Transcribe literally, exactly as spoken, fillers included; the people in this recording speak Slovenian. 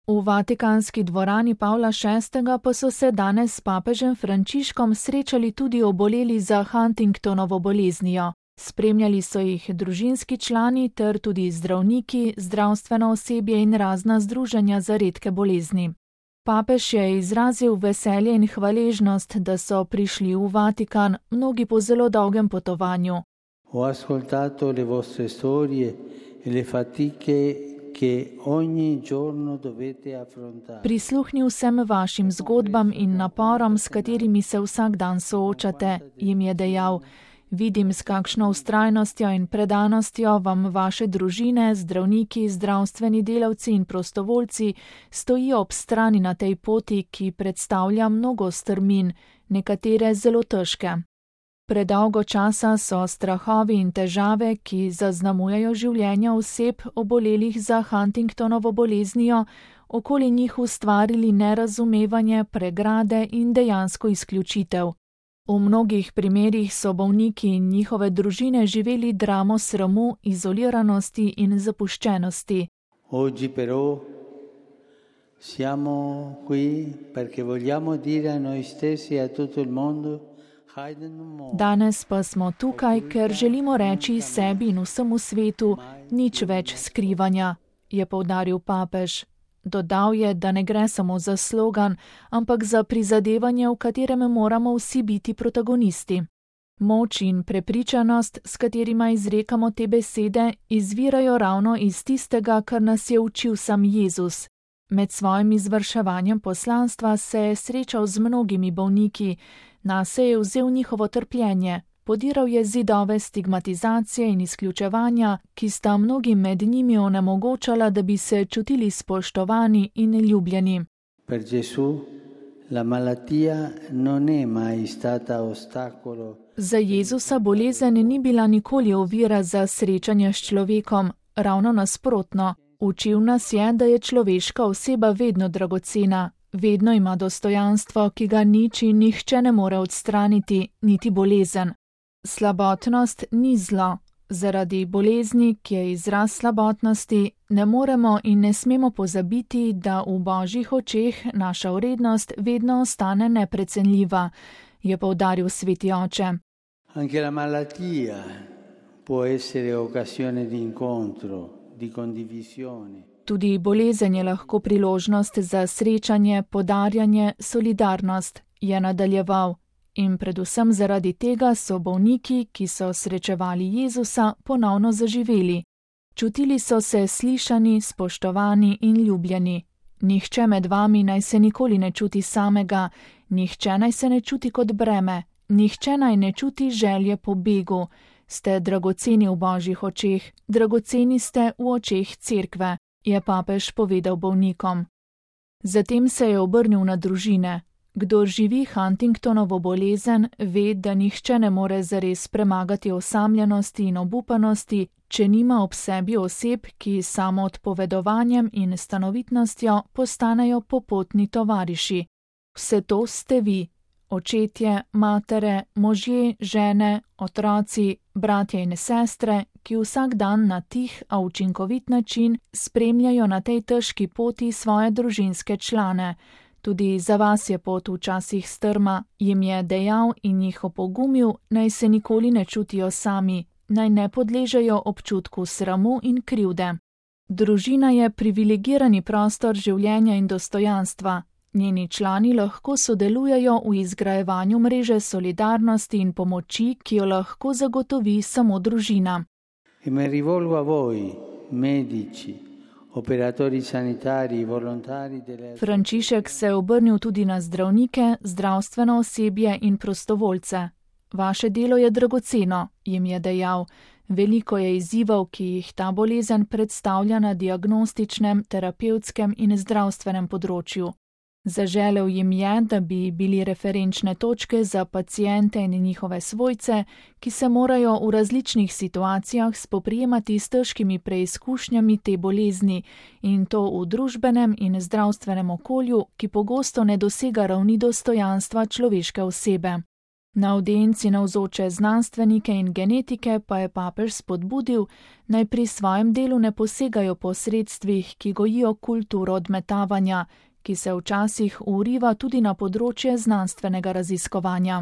V vatikanski dvorani Pavla šestega pa so se danes s papežem Frančiškom srečali tudi oboleli za Huntingtonovo boleznijo. Spremljali so jih družinski člani ter tudi zdravniki, zdravstveno osebje in razna združenja za redke bolezni. Papež je izrazil veselje in hvaležnost, da so prišli v Vatikan, mnogi po zelo dolgem potovanju. Ho ascoltato le vostre storie e le fatiche che ogni giorno dovete affrontare. Prisluhnil sem vašim zgodbam in naporom, s katerimi se vsak dan soočate, jim je dejal. Vidim, s kakšno vztrajnostjo in predanostjo vam vaše družine, zdravniki, zdravstveni delavci in prostovoljci stojijo ob strani na tej poti, ki predstavlja mnogo strmin, nekatere zelo težke. Predolgo časa so strahovi in težave, ki zaznamujejo življenja oseb obolelih za Huntingtonovo boleznijo, okoli njih ustvarili nerazumevanje, pregrade in dejansko izključitev. V mnogih primerih so bolniki in njihove družine živeli dramo sramu, izoliranosti in zapuščenosti. Oggi però siamo qui perché vogliamo dire a noi stessi e a tutto il mondo. Danes pa smo tukaj, ker želimo reči sebi in vsemu svetu, nič več skrivanja, je poudaril papež. Dodal je, da ne gre samo za slogan, ampak za prizadevanje, v katerem moramo vsi biti protagonisti. Moč in prepričanost, s katerima izrekamo te besede, izvirajo ravno iz tistega, kar nas je učil sam Jezus. Med svojim izvrševanjem poslanstva se je srečal z mnogimi bolniki, nase je vzel njihovo trpljenje, podiral je zidove stigmatizacije in izključevanja, ki sta mnogim med njimi onemogočala, da bi se čutili spoštovani in ljubljeni. Per Gesù la malattia non è mai stata ostacolo. Za Jezusa bolezen ni bila nikoli ovira za srečanje s človekom, ravno nasprotno. Učil nas je, da je človeška oseba vedno dragocena, vedno ima dostojanstvo, ki ga nič in nihče ne more odstraniti, niti bolezen. Slabotnost ni zlo. Zaradi bolezni, ki je izraz slabotnosti, ne moremo in ne smemo pozabiti, da v Božjih očeh naša vrednost vedno ostane neprecenljiva, je poudaril sveti oče. Anche la malattia può essere occasione di incontro, di condivisione. Tudi bolezen je lahko priložnost za srečanje, podarjanje, solidarnost, je nadaljeval. In predvsem zaradi tega so bolniki, ki so srečevali Jezusa, ponovno zaživeli. Čutili so se slišani, spoštovani in ljubljeni. Nihče med vami naj se nikoli ne čuti samega, nihče naj se ne čuti kot breme, nihče naj ne čuti želje po begu. Ste dragoceni v Božjih očeh, dragoceni ste v očeh cerkve, je papež povedal bolnikom. Zatem se je obrnil na družine. Kdor živi Huntingtonovo bolezen, ve, da nihče ne more zares premagati osamljenosti in obupanosti, če nima ob sebi oseb, ki samo odpovedovanjem in stanovitnostjo postanejo popotni tovariši. Vse to ste vi, očetje, matere, možje, žene, otroci, bratje in sestre, ki vsak dan na tih, a učinkovit način spremljajo na tej težki poti svoje družinske člane. Tudi za vas je pot včasih strma, jim je dejal in jih opogumil, naj se nikoli ne čutijo sami, naj ne podležejo občutku sramu in krivde. Družina je privilegirani prostor življenja in dostojanstva. Njeni člani lahko sodelujejo v izgrajevanju mreže solidarnosti in pomoči, ki jo lahko zagotovi samo družina. E mi rivolgo a voi, medici, operatori sanitari, volontari delle... Frančišek se je obrnil tudi na zdravnike, zdravstveno osebje in prostovoljce. Vaše delo je dragoceno, jim je dejal. Veliko je izzivov, ki jih ta bolezen predstavlja na diagnostičnem, terapevtskem in zdravstvenem področju. Zaželel jim je, da bi bili referenčne točke za paciente in njihove svojce, ki se morajo v različnih situacijah spoprijemati s težkimi preizkušnjami te bolezni in to v družbenem in zdravstvenem okolju, ki pogosto ne dosega ravni dostojanstva človeške osebe. Na avdienci navzoče znanstvenike in genetike pa je papež spodbudil, naj pri svojem delu ne posegajo po sredstvih, ki gojijo kulturo odmetavanja, ki se včasih vriva tudi na področje znanstvenega raziskovanja.